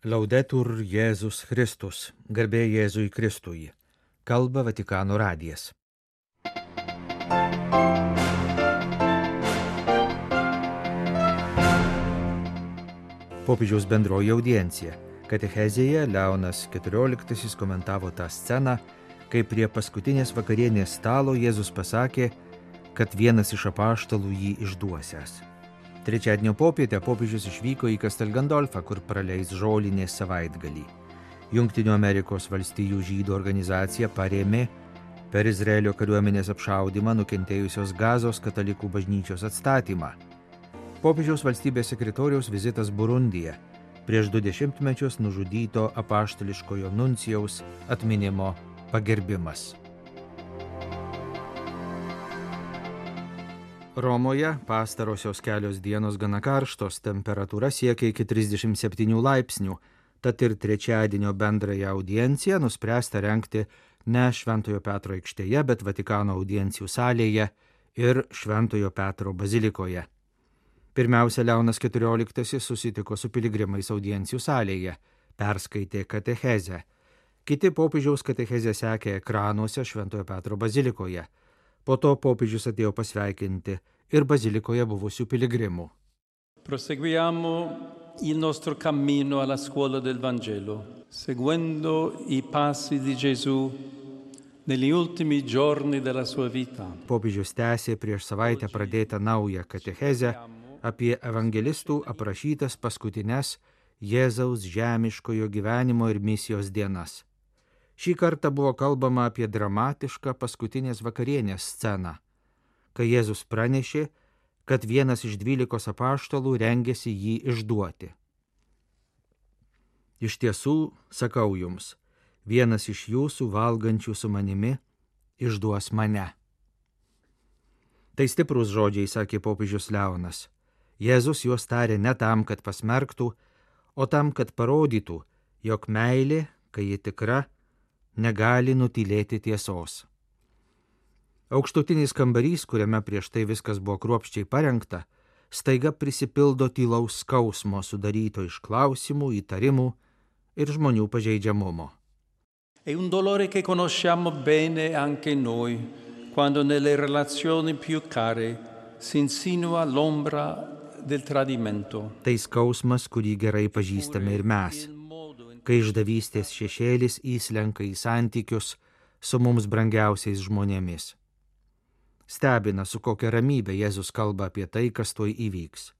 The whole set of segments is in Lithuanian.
Laudetur Jėzus Kristus, garbė Jėzui Kristui. Kalba Vatikano radijas. Popiežiaus bendroji audiencija. Katechezėje Leonas XIV komentavo tą sceną, kai prie paskutinės vakarienės stalo Jėzus pasakė, kad vienas iš apaštalų jį išduosiąs. Trečiadienio popietę popiežius išvyko į Castel Gandolfą, kur praleis žolinės savaitgalį. Jungtinių Amerikos valstijų žydų organizacija parėmė per Izraelio kariuomenės apšaudymą nukentėjusios Gazos katalikų bažnyčios atstatymą. Popiežiaus valstybės sekretoriaus vizitas Burundyje, prieš 20 mečius nužudyto apaštališkojo nuncijaus atminimo pagerbimas. Romoje pastarosios kelios dienos gana karštos, temperatūra siekia iki 37 laipsnių, tad ir trečiadienio bendrąją audienciją nuspręsta rengti ne Šventojo Petro aikštėje, bet Vatikano audiencijų salėje ir Šventojo Petro bazilikoje. Pirmiausia, Leonas XIV susitiko su piligrimais audiencijų salėje, perskaitė katechezę. Kiti popiežiaus katechezę sekė ekranuose Šventojo Petro bazilikoje. Po to popiežius atėjo pasveikinti ir bazilikoje buvusių piligrimų. Proseguiamo il nostro cammino alla scuola del Vangelo, seguendo i passi di Gesù negli ultimi giorni della sua vita. Popiežius tęsė prieš savaitę pradėtą naują katechezę apie evangelistų aprašytas paskutines Jėzaus žemiškojo gyvenimo ir misijos dienas. Šį kartą buvo kalbama apie dramatišką paskutinės vakarienės sceną, kai Jėzus pranešė, kad vienas iš 12 apaštalų rengėsi jį išduoti. Iš tiesų, sakau jums, vienas iš jūsų valgančių su manimi išduos mane. Tai stiprus žodžiai, sakė popiežius Leonas. Jėzus juos tarė ne tam, kad pasmerktų, o tam, kad parodytų, jog meilė, kai ji tikra, negali nutylėti tiesos. Aukštutinis kambarys, kuriame prieš tai viskas buvo kruopščiai parengta, staiga prisipildo tylaus skausmo sudaryto iš klausimų, įtarimų ir žmonių pažeidžiamumo. È un dolore che conosciamo bene anche noi, quando nelle relazioni più care si insinua l'ombra del tradimento. Tai skausmas, kurį gerai pažįstame ir mes, kai išdavystės šešėlis įslenka į santykius su mums brangiausiais žmonėmis. Stebina, su kokia ramybė Jėzus kalba apie tai, kas tuoj įvyks.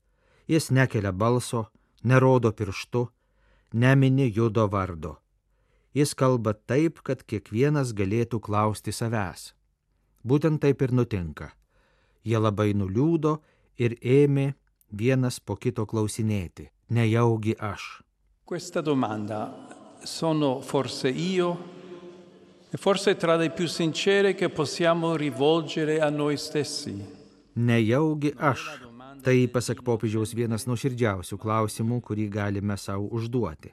Jis nekelia balso, nerodo pirštu, nemini Judo vardo. Jis kalba taip, kad kiekvienas galėtų klausti savęs. Būtent taip ir nutinka. Jie labai nuliūdo ir ėmė vienas po kito klausinėti, nejaugi aš. Questa domanda, sono forse io? E forse tra le più sincere che possiamo rivolgere a noi stessi. Nejaugi aš. Tai, pasak popiežiaus, vienas nuoširdžiausių klausimų, kurį galime savo užduoti.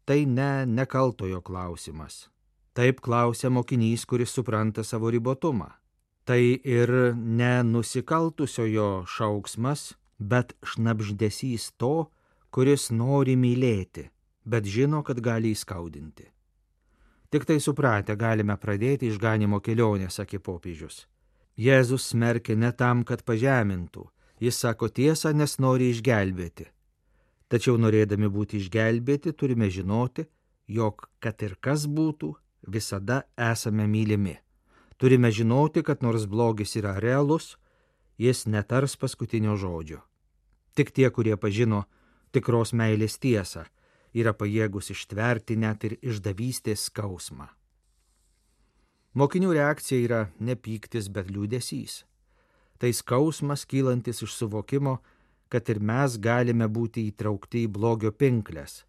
Tai nekaltojo klausimas. Taip klausia mokinys, kuris supranta savo ribotumą. Tai ir nenusikaltusiojo šauksmas, bet šnabždesys to, kuris nori mylėti, bet žino, kad gali įskaudinti. Tik tai supratę galime pradėti išganimo kelionę, sakė popiežius. Jėzus smerkia ne tam, kad pažemintų, jis sako tiesą, nes nori išgelbėti. Tačiau norėdami būti išgelbėti, turime žinoti, jog, kad ir kas būtų, visada esame mylimi. Turime žinoti, kad nors blogis yra realus, jis netars paskutinio žodžio. Tik tie, kurie pažino tikros meilės tiesą, yra pajėgus ištverti net ir išdavystės skausmą. Mokinių reakcija yra ne pyktis, bet liūdesys. Tai skausmas kylantis iš suvokimo, kad ir mes galime būti įtraukti į blogio pinkles.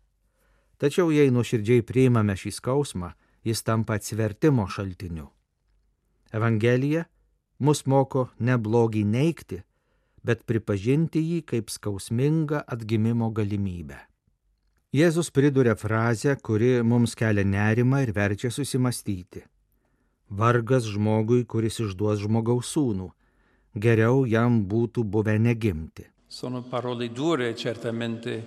Tačiau jei nuoširdžiai priimame šį skausmą, jis tampa atsivertimo šaltiniu. Evangelija mus moko ne blogį neigti, bet pripažinti jį kaip skausmingą atgimimo galimybę. Jėzus priduria frazę, kuri mums kelia nerimą ir verčia susimastyti. Vargas žmogui, kuris išduos žmogaus sūnų. Geriau jam būtų buvę negimti. Sono parole dure, certamente,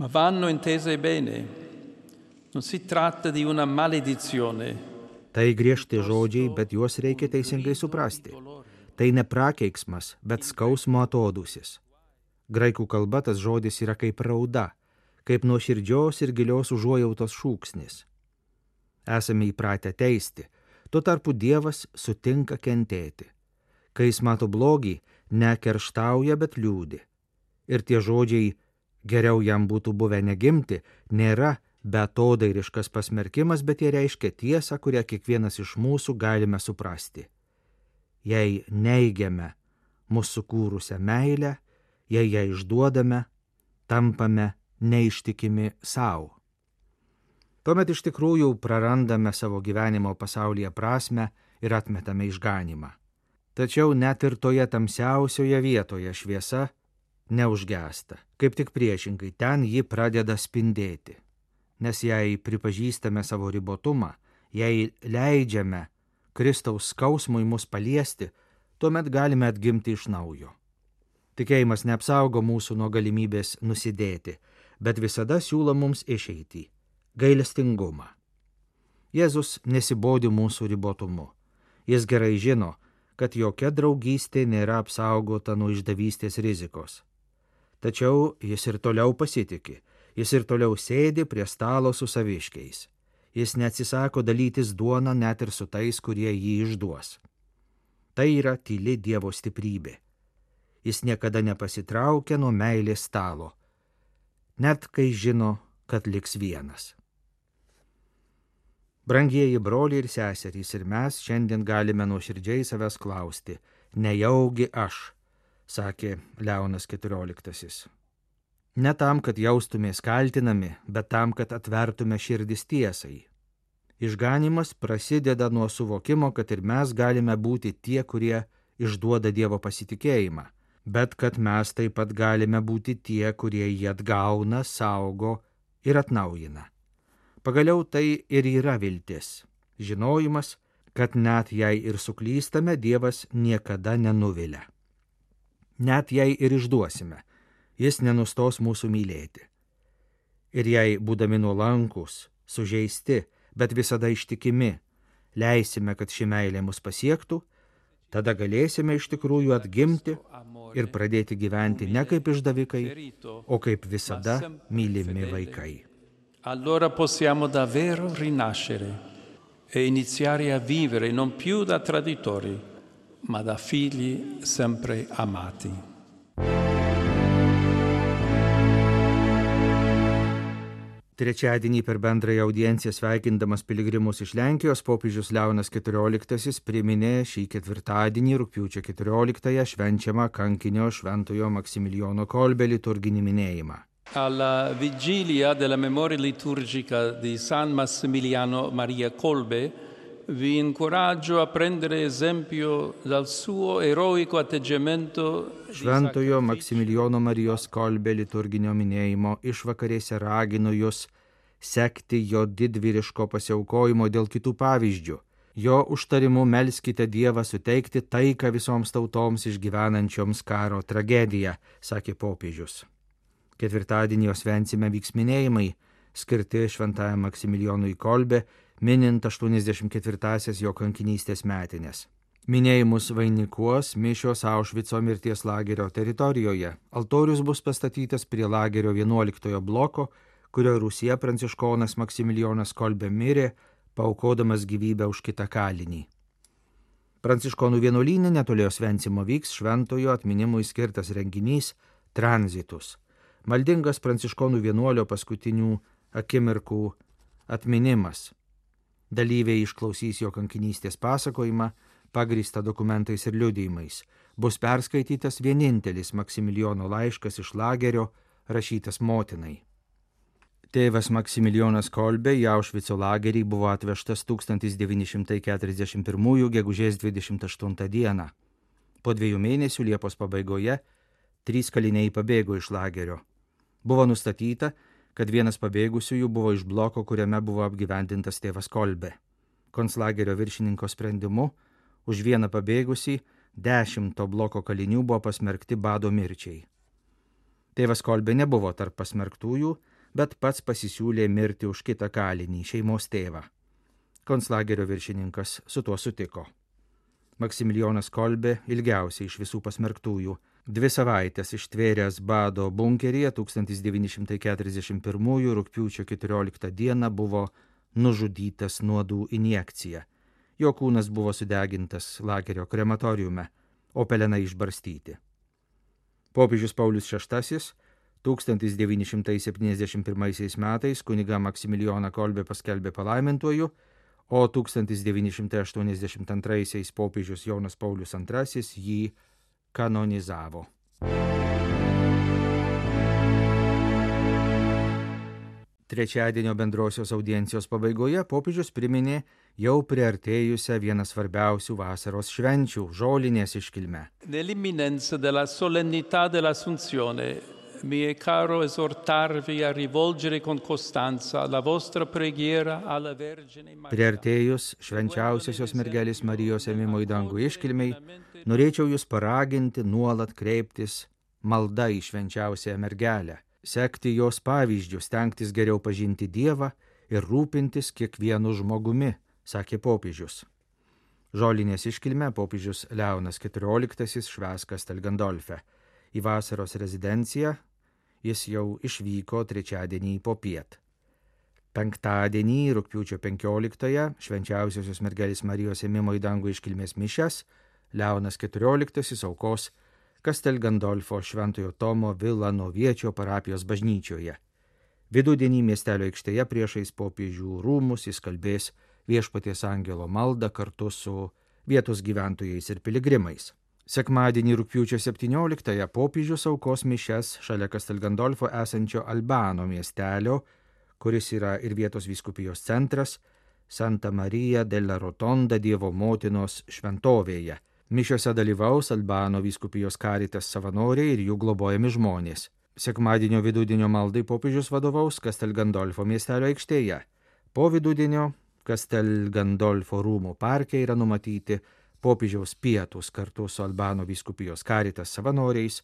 Ma vanno intese bene. Non si tratta di una maledizione. Tai griežti žodžiai, bet juos reikia teisingai suprasti. Tai ne prakeiksmas, bet skausmo atodūsis. Graikų kalba tas žodis yra kaip rauda, kaip nuoširdžios ir gilios užuojautos šūksnis. Esame įpratę teisti, tuo tarpu Dievas sutinka kentėti. Kai jis mato blogį, nekerštauja, bet liūdi. Ir tie žodžiai geriau jam būtų buvę negimti, nėra beatodairiškas pasmerkimas, bet jie reiškia tiesą, kurią kiekvienas iš mūsų galime suprasti. Jei neigiame mūsų sukūrusią meilę, jei ją išduodame, tampame neištikimi savo. Tuomet iš tikrųjų prarandame savo gyvenimo pasaulyje prasmę ir atmetame išganymą. Tačiau net ir toje tamsiausioje vietoje šviesa neužgęsta. Kaip tik priešingai, ten ji pradeda spindėti. Nes jei pripažįstame savo ribotumą, jei leidžiame Kristaus skausmui mus paliesti, tuomet galime atgimti iš naujo. Tikėjimas neapsaugo mūsų nuo galimybės nusidėti, bet visada siūlo mums išeitį – gailestingumą. Jėzus nesibodi mūsų ribotumu. Jis gerai žino, kad jokia draugystė nėra apsaugota nuo išdavystės rizikos. Tačiau jis ir toliau pasitiki, jis ir toliau sėdi prie stalo su saviškiais. Jis neatsisako dalytis duoną net ir su tais, kurie jį išduos. Tai yra tyli Dievo stiprybė. Jis niekada nepasitraukia nuo meilės stalo, net kai žino, kad liks vienas. Brangieji broliai ir seserys, ir mes šiandien galime nuoširdžiai savęs klausti, nejaugi aš, sakė Leonas XIV. Ne tam, kad jaustumės kaltinami, bet tam, kad atvertume širdis tiesai. Išganymas prasideda nuo suvokimo, kad ir mes galime būti tie, kurie išduoda Dievo pasitikėjimą, bet kad mes taip pat galime būti tie, kurie jį atgauna, saugo ir atnaujina. Pagaliau tai ir yra viltis, žinojimas, kad net jei ir suklystame, Dievas niekada nenuvilia. Net jei ir išduosime, jis nenustos mūsų mylėti. Ir jei, būdami nuolankus, sužeisti, bet visada ištikimi, leisime, kad ši meilė mus pasiektų, tada galėsime iš tikrųjų atgimti ir pradėti gyventi ne kaip išdavikai, o kaip visada mylimi vaikai. Allora possiamo davvero rinascere e iniziare a vivere non più da traditori, ma da figli sempre amati. Trečiadienį per bendrąją audienciją sveikindamas piligrimus iš Lenkijos, popiežius Leonas XIV priminė šį ketvirtadienį rugpjūčio 14-ąją švenčiamą kankinio Šventojo Maksimilijono Kolbė liturginį minėjimą. Alla vigilia della memoria liturgica di San Massimiliano Maria Kolbe vi incoraggio a prendere esempio dal suo eroico atteggiamento. Šventojo Maksimilijono Marijos Kolbė liturginio minėjimo išvakarėse raginu jūs sekti jo didvyriško pasiaukojimo dėl kitų pavyzdžių. Jo užtarimu melskite Dievą suteikti taiką visoms tautoms išgyvenančioms karo tragediją, sakė popiežius. Ketvirtadienį jos šventsime vyks minėjimai, skirti Šventajam Maksimilijonui Kolbė, minint 84-asias jo kankinystės metinės. Minėjimus vainikuos mišios Aušvico mirties lagerio teritorijoje. Altorius bus pastatytas prie lagerio 11 bloko, kurio rūsyje pranciškonas Maksimilijonas Kolbė mirė, paaukodamas gyvybę už kitą kalinį. Pranciškonų vienuolyne netolėjo šventsimo vyks šventojo atminimui skirtas renginys Tranzitus. Maldingas pranciškonų vienuolio paskutinių akimirkų atminimas. Dalyviai išklausys jo kankinystės pasakojimą, pagrįstą dokumentais ir liudijimais. Bus perskaitytas vienintelis Maksimilijono laiškas iš lagerio, rašytas motinai. Tėvas Maksimilijonas Kolbė į Aušvico lagerį buvo atvežtas 1941 gegužės 28 dieną. Po 2 mėnesių Liepos pabaigoje 3 kaliniai pabėgo iš lagerio. Buvo nustatyta, kad vienas pabėgusiųjų buvo iš bloko, kuriame buvo apgyvendintas tėvas Kolbė. Konclagerio viršininko sprendimu už vieną pabėgusį 10 to bloko kalinių buvo pasmerkti bado mirčiai. Tėvas Kolbė nebuvo tarp pasmerktųjų, bet pats pasisiūlė mirti už kitą kalinį, šeimos tėvą. Konclagerio viršininkas su tuo sutiko. Maksimilijonas Kolbė, ilgiausiai iš visų pasmerktųjų, 2 savaites ištvėręs bado bunkeryje 1941 rugpjūčio 14 dieną buvo nužudytas nuodų injekcija. Jo kūnas buvo sudegintas lagerio krematoriume, o pelenai išbarstyti. Popiežius Paulius VI 1971 metais kunigą Maksimilijoną Kolbę paskelbė palaimintuoju, o 1982 popiežius Jonas Paulius II jį kanonizavo. Trečiadienio bendrosios audiencijos pabaigoje popiežius priminė jau priartėjusią vieną svarbiausių vasaros švenčių – žolinės iškilmę. Nell'imminenza della solennità dell'Assunzione mi è caro esortarvi a rivolgere con costanza la vostra preghiera alla Vergine Maria. Priartėjus švenčiausiosios mergelės Marijos ėmimo į dangų iškilmei, norėčiau jūs paraginti nuolat kreiptis malda į švenčiausiąją mergelę, sekti jos pavyzdžių, stengtis geriau pažinti Dievą ir rūpintis kiekvienu žmogumi, sakė popiežius. Žolinės iškilmę popiežius Leonas XIV švęs Kastelgandolfe. Į vasaros rezidenciją jis jau išvyko trečiadienį popiet. Penktadienį, rugpjūčio 15-ąją, švenčiausiosios mergelės Marijos ėmimo į dangų iškilmės mišias Leonas XIV aukos Kastelgandolfo Šventojo Tomo Vilanoviečio parapijos bažnyčioje. Vidudienį miestelio aikštėje priešais popiežių rūmus jis kalbės Viešpaties angelo maldą kartu su vietos gyventojais ir piligrimais. Sekmadienį rugpjūčio 17-ąją popiežius aukos mišias šalia Kastelgandolfo esančio Albano miestelio, kuris yra ir vietos vyskupijos centras, Santa Marija della Rotonda Dievo motinos šventovėje. Mišiose dalyvaus Albano vyskupijos Caritas savanoriai ir jų globojami žmonės. Sekmadienio vidudienio maldai popiežius vadovaus Kastelgandolfo miestelio aikštėje. Po vidudienio Kastelgandolfo rūmų parke yra numatyti popiežiaus pietūs kartu su Albano vyskupijos Caritas savanoriais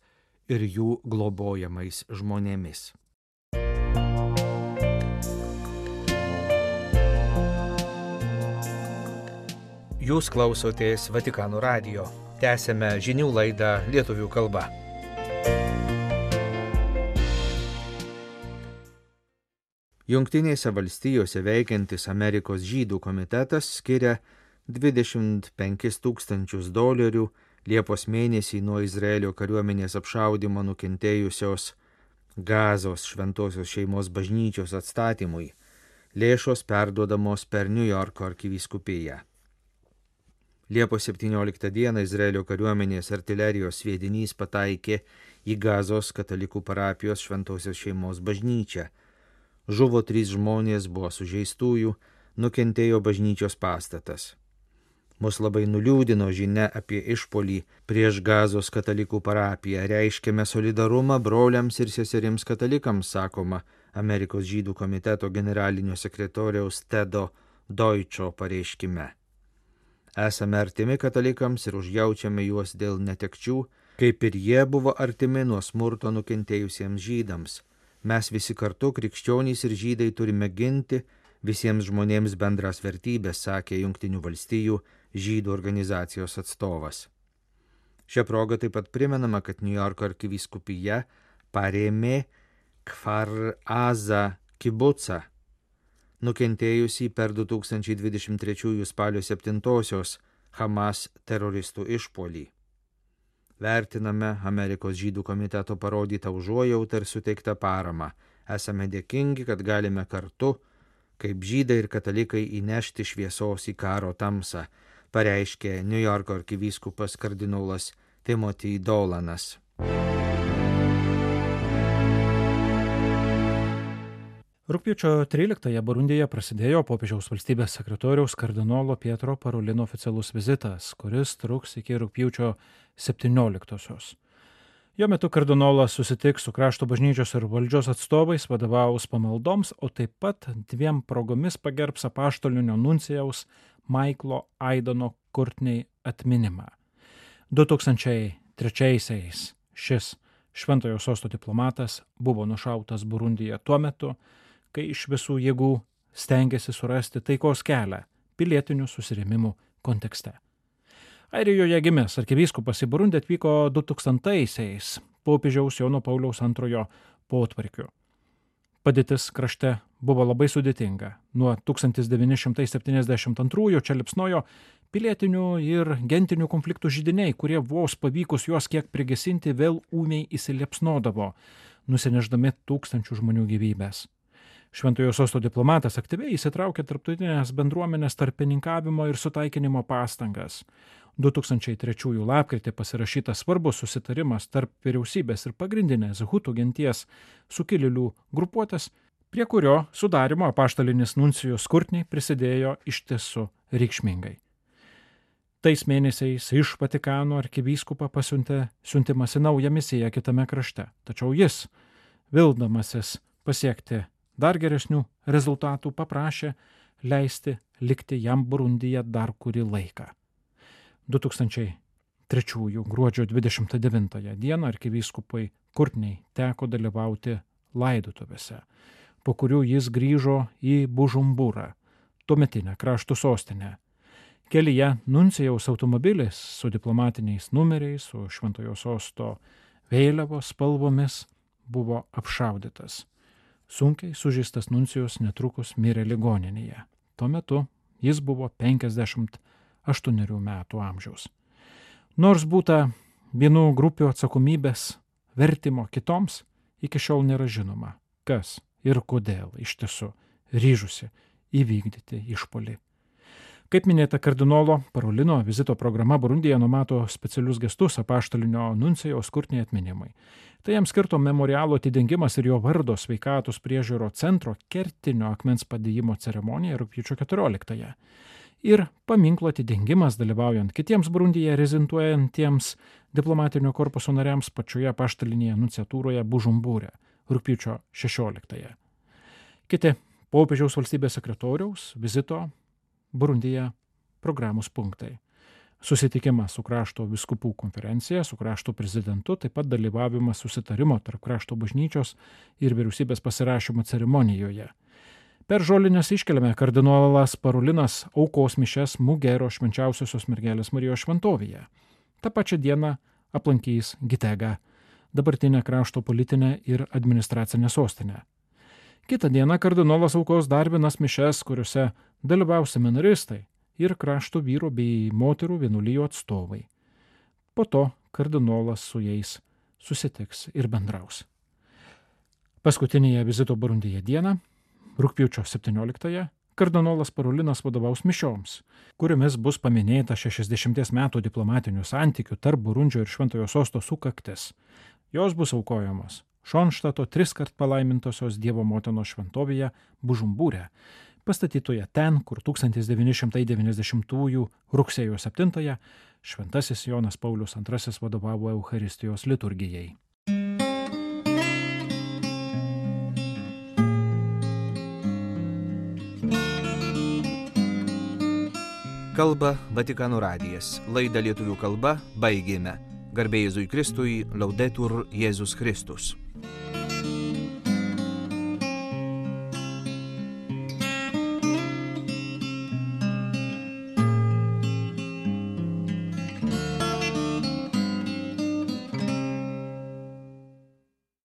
ir jų globojamais žmonėmis. Jūs klausotės Vatikano radijo. Tęsiame žinių laidą lietuvių kalba. Jungtinėse valstijose veikiantis Amerikos žydų komitetas skiria $25 000 Liepos mėnesį nuo Izraelio kariuomenės apšaudymo nukentėjusios Gazos šventosios šeimos bažnyčios atstatymui. Lėšos perduodamos per New Yorko arkivyskupiją. Liepos 17 dieną Izraelio kariuomenės artilerijos sviedinys pataikė į Gazos katalikų parapijos šventosios šeimos bažnyčią. Žuvo 3 žmonės, buvo sužeistųjų, nukentėjo bažnyčios pastatas. Mus labai nuliūdino žinia apie išpuolį prieš Gazos katalikų parapiją. Reiškiame solidarumą broliams ir seserims katalikams, sakoma Amerikos žydų komiteto generalinio sekretoriaus Tedo Deutscho pareiškime. Esame artimi katalikams ir užjaučiame juos dėl netekčių, kaip ir jie buvo artimi nuo smurto nukentėjusiems žydams. Mes visi kartu, krikščionys ir žydai, turime ginti visiems žmonėms bendras vertybės, sakė Jungtinių valstijų žydų organizacijos atstovas. Šia proga taip pat primenama, kad New Yorko arkivyskupija parėmė Kfar Aza kibucą, nukentėjusį per 2023 spalio 7-osios Hamas teroristų išpuolį. Vertiname Amerikos žydų komiteto parodytą užuojautą ir suteiktą paramą. Esame dėkingi, kad galime kartu, kaip žydai ir katalikai, įnešti šviesos į karo tamsą, pareiškė New Yorko arkivyskupas kardinolas Timothy Dolanas. Rugpjūčio 13-ąją Burundyje prasidėjo popiežiaus valstybės sekretoriaus kardinolo Pietro Parolino oficialus vizitas, kuris truks iki rugpjūčio 17-osios. Jo metu kardinolas susitiks su krašto bažnyčios ir valdžios atstovais, vadovaus pamaldoms, o taip pat 2 progomis pagerbs apaštalinio nuncijaus Maiklo Aidono Kurtney atminimą. 2003-aisiais šis Šventojo sosto diplomatas buvo nušautas Burundyje tuo metu, kai iš visų jėgų stengiasi surasti taikos kelią pilietinių susirėmimų kontekste. Airijoje gimęs arkivyskupas į Burundį atvyko 2000-aisiais popiežiaus Jono Pauliaus II potvarkiu. Padėtis krašte buvo labai sudėtinga. Nuo 1972 čia liepsnojo pilietinių ir gentinių konfliktų židiniai, kurie vos pavykus juos kiek prigesinti vėl ūmiai įsiliepsnodavo, nusineždami tūkstančių žmonių gyvybės. Šventojo sosto diplomatas aktyviai įsitraukė tarptautinės bendruomenės tarpininkavimo ir sutaikinimo pastangas. 2003 lapkritį pasirašytas svarbus susitarimas tarp vyriausybės ir pagrindinės hutų genties sukilėlių grupuotės, prie kurio sudarimo apaštalinis nuncijus Kurtniai prisidėjo iš tiesų reikšmingai. Tais mėnesiais iš Vatikano arkivyskupą pasiuntė siuntimas į naują misiją kitame krašte, tačiau jis, vildamasis pasiekti dar geresnių rezultatų, paprašė leisti likti jam Burundyje dar kurį laiką. 2003 gruodžio 29 dieną arkivyskupui Kurtniai teko dalyvauti laidotuvėse, po kurių jis grįžo į Bužumburą, tuometinę krašto sostinę. Kelyje nuncijaus automobilis su diplomatiniais numeriais, su Šventojo sosto vėliavos spalvomis buvo apšaudytas. Sunkiai sužeistas nuncijus netrukus mirė ligoninėje. Tuo metu jis buvo 58 metų amžiaus. Nors būta vienų grupių atsakomybės vertimo kitoms, iki šiol nėra žinoma, kas ir kodėl iš tiesų ryžusi įvykdyti išpuolį. Kaip minėta, kardinolo Parolino vizito programa Burundyje numato specialius gestus apaštalinio nuncijaus Kurtniai atminimui. Tai jam skirto memorialo atidengimas ir jo vardo sveikatos priežiūro centro kertinio akmens padėjimo ceremonija rugpjūčio 14. Ir paminklo atidengimas dalyvaujant kitiems Burundyje rezidentuojantiems diplomatinio korpuso nariams pačioje apaštalinėje nunciatūroje Bužumbūre rugpjūčio 16. Kiti popiežiaus valstybės sekretoriaus vizito Burundyje programos punktai. Susitikimas su krašto vyskupų konferencija, su krašto prezidentu, taip pat dalyvavimas susitarimo tarp krašto bažnyčios ir vyriausybės pasirašymo ceremonijoje. Per žolinės iškeliame kardinolas Parolinas aukos mišias Mugero švenčiausiosios mergelės Marijos šventovėje. Ta pačia diena aplankys Gitegą, dabartinę krašto politinę ir administracinę sostinę. Kitą dieną kardinolas aukos dar vienas mišias, kuriuose dalyvaus seminaristai ir krašto vyrų bei moterų vienuolijų atstovai. Po to kardinolas su jais susitiks ir bendraus. Paskutinėje vizito Burundyje dieną, rugpjūčio 17, kardinolas Parolinas vadovaus mišioms, kuriomis bus paminėta 60 metų diplomatinių santykių tarp Burundžio ir Šventojo sosto sukaktis. Jos bus aukojamos Šonštato 3-kart palaimintosios Dievo motinos šventovėje Bužumbūre, pastatytoje ten, kur 1990 rugsėjo 7 šventasis Jonas Paulius II vadovavo Eucharistijos liturgijai. Kalba Vatikano radijas. Laidą lietuvių kalba baigėme. Garbė Jėzui Kristui, Laudetur Jėzus Kristus.